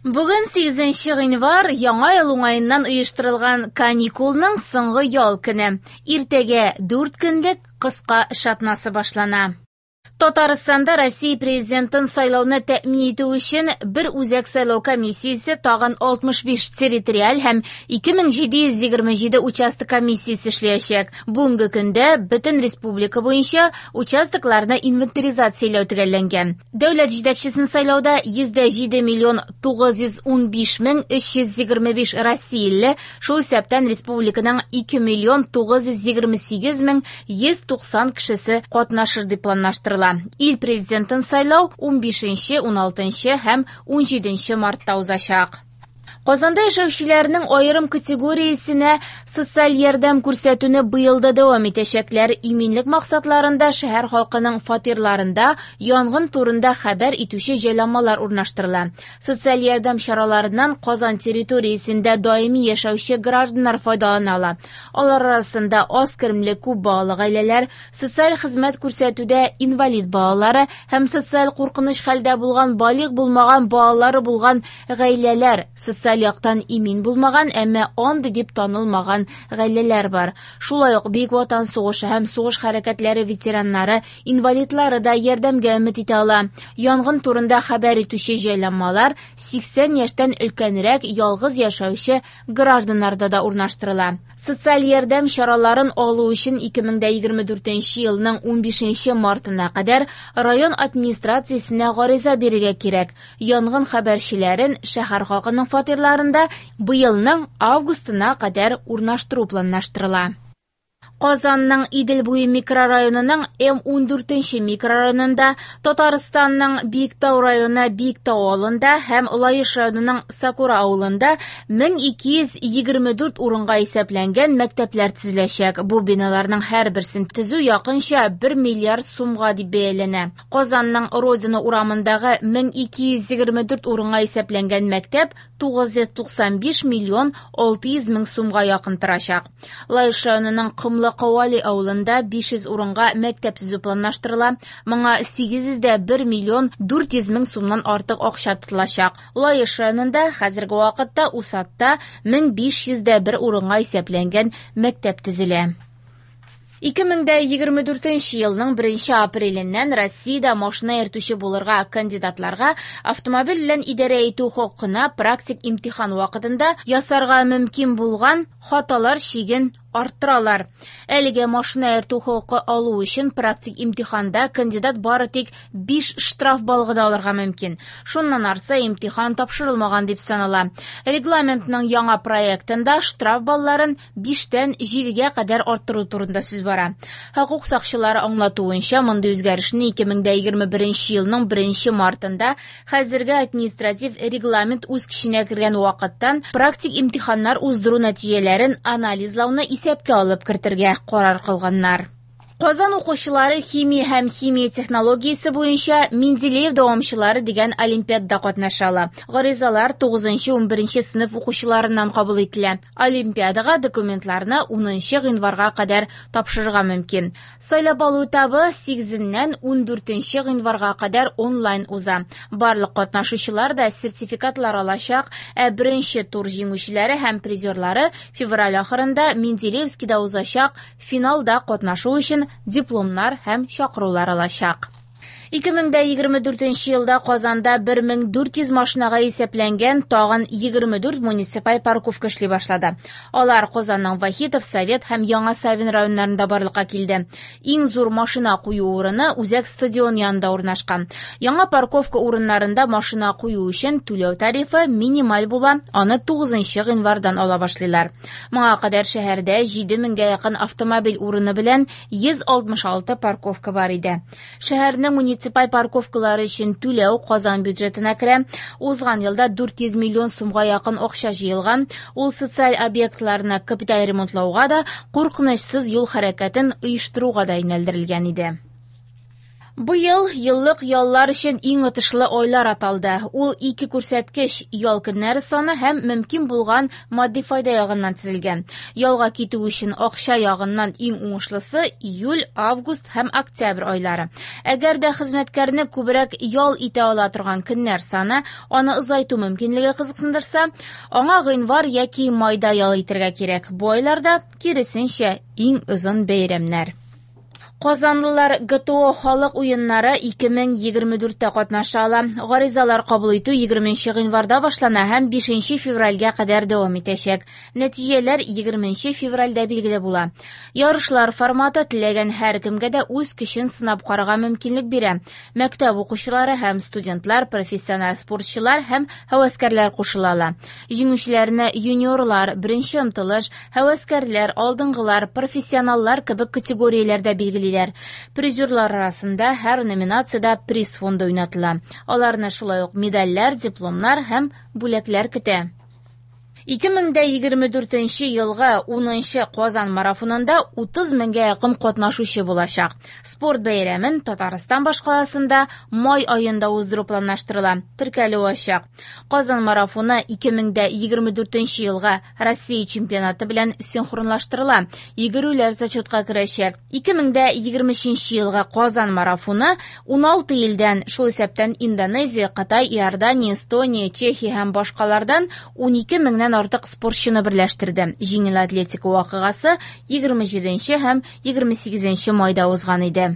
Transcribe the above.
Бүген 8 гыйнвар, Яңа ел уңаеннан оештырылган каникулның соңгы ял көне. Иртәгә 4 көнлек кыска эш атнасы башлана. Татарстанда Россия президентын сайлауны тәэмин итү өчен бер үзәк сайлау комиссиясе тагын 65 территориаль һәм 2727 участок комиссиясе эшләячәк. Бүгенге көндә бөтен республика буенча участокларны инвентаризацияләү төгәлләнгән. Дәүләт җитәкчесен сайлауда 107 миллион 915 мең 325 россияле, шул исәптән республиканың 2 миллион 928 мең 190 кешесе катнашыр дип планлаштырыла. Ил президентын сайлау 15, 16 һәм 17 мартта узачак. Казанда яшәүчеләрнең аерым категориясенә социаль ярдәм күрсәтүне быел да дәвам итәчәкләр. Иминлек максатларында шәһәр халкының фатирларында янгын турында хәбәр итүче җайланмалар урнаштырыла. Социаль ярдәм чараларыннан Казан территориясендә даими яшәүче гражданнар файдалана ала. Алар арасында аз керемле күп балалы гаиләләр, социаль хезмәт күрсәтүдә инвалид балалары һәм социаль куркыныч хәлдә булган балигъ булмаган балалары булган гаиләләр, социаль яктан имин булмаган, әмма андый дип танылмаган гаиләләр бар. Шулай ук Бөек Ватан сугышы һәм сугыш хәрәкәтләре ветераннары, инвалидлары да ярдәмгә өмет итә ала. Янгын турында хәбәр итүче җайланмалар 80 яшьтән өлкәнрәк ялгыз яшәүче гражданнарда да урнаштырыла. Социаль ярдәм чараларын алу өчен 2024 елның 15 мартына кадәр район администрациясенә гариза бирергә кирәк. Янгын хәбәрчеләрен шәһәр халкының фатирларында быелның августына кадәр урнаштыру планлаштырыла. Казанның Идел буе микрорайонының М14 микрорайонында, Татарстанның Биектау районы Биектау авылында һәм Лаеш районының Сакура авылында 1224 урынга исәпләнгән мәктәпләр төзеләчәк. Бу биналарның һәрберсен төзү якынча 1 миллиард сумга дип бәяләнә. Казанның Родина урамындагы 1224 урынга исәпләнгән мәктәп 995 миллион 600 мең сумга якын торачак. Лаеш районының Комлы Кавали авылында 500 урынга мәктәп төзү планлаштырыла. Моңа 801 миллион 400 мең сумнан артык акча тотылачак. Лаеш районында хәзерге вакытта Усатта 1501 урынга исәпләнгән мәктәп төзелә. 2024 елның 1 апреленнән Россиядә машина йөртүче булырга кандидатларга автомобиль белән идарә итү хокукына практик имтихан вакытында ясарга мөмкин булган хаталар чиген арттыралар. Әлегә машина йөртү хокукы алу өчен практик имтиханда кандидат бары тик 5 штраф баллы гына алырга мөмкин. Шуннан артса имтихан тапшырылмаган дип санала. Регламентның яңа проектында штраф балларын 5-тән 7-гә кадәр арттыру турында сүз бара. Хокук сакчылары аңлатуынча, мондый үзгәрешне 2021 елның 1 мартында хәзерге административ регламент үз көченә кергән вакыттан практик имтиханнар уздыру нәтиҗәләрен анализлауны исәпкә алып кертергә карар кылганнар. Казан укучылары химия һәм химия технологиясе буенча Менделеев дәвамчылары дигән олимпиадада катнаша ала. Гаризалар 9-11 сыйныф укучыларыннан кабул ителә. Олимпиадага документларны 10 гыйнварга кадәр тапшырырга мөмкин. Сайлап алу этабы 8-ннән 14 гыйнварга кадәр онлайн уза. Барлык катнашучылар да сертификатлар алачак, ә беренче тур җиңүчеләре һәм призерлары февраль ахырында Менделеевскида узачак финалда катнашу өчен дипломнар һәм чакырулар алачак. 2024 елда Казанда 1400 машинага исәпләнгән тагын 24 муниципаль парковка эшли башлады. Алар Казанның Вахитов, Совет һәм Яңа Савин районнарында барлыкка килде. Иң зур машина кую урыны Үзәк стадион янында урнашкан. Яңа парковка урыннарында машина кую өчен түләү тарифы минималь була, аны 9 гыйнвардан ала башлыйлар. Моңа кадәр шәһәрдә 7000гә якын автомобиль урыны белән 166 парковка бар иде. Шәһәрнең муниципаль парковкалары өчен түләү Казан бюджетына керә. Узган елда 400 миллион сумга якын акча җыелган. Ул социаль объектларны капиталь ремонтлауга да, куркынычсыз юл хәрәкәтен оештыруга да юнәлдерелгән иде. Быел еллык яллар өчен иң отышлы айлар аталды. Ул ике күрсәткеч – ял көннәре саны һәм мөмкин булган матди файда ягыннан төзелгән. Ялга китү өчен акча ягыннан иң уңышлысы – июль, август һәм октябрь айлары. Әгәр дә хезмәткәрне күбрәк ял итә ала торган көннәр саны, аны озайту мөмкинлеге кызыксындырса, аңа гыйнвар яки майда ял итәргә кирәк. Бу айларда, киресенчә, иң озын бәйрәмнәр. Казанлылар ГТО халык уеннары 2024-тә катнаша ала. Гаризалар кабул итү 20 гыйнварда башлана һәм 5 февральгә кадәр дәвам итәчәк. Нәтиҗәләр 20 февральдә билгеле була. Ярышлар форматы теләгән һәркемгә дә үз көчен сынап карарга мөмкинлек бирә. Мәктәп укучылары һәм студентлар, профессиональ спортчылар һәм һәвәскәрләр кушыла ала. Җиңүчеләрне юниорлар, беренче омтылыш, һәвәскәрләр, алдынгылар, профессионаллар кебек категорияләрдә билгелиләр. Призерлар арасында һәр номинациядә приз фонды уйнатыла. Аларны шулай ук медальләр, дипломнар һәм бүләкләр көтә. 2024 елгы 10 Казан марафонында 30 меңгә якын катнашучы булачак. Спорт бәйрәмен Татарстан башкаласында май аенда уздыру планлаштырыла. Теркәлү ачык. Казан марафоны 2024 елгы Россия чемпионаты белән синхронлаштырыла. Йөгерүләр зачетка керәчәк. 2023 елгы Казан марафоны 16 илдән, шул исәптән Индонезия, Кытай, Иордания, Эстония, Чехия һәм башкалардан 12 меңнән артык спортчыны берләштерде. Җиңел атлетика вакыйгасы 27 һәм 28 майда узган иде.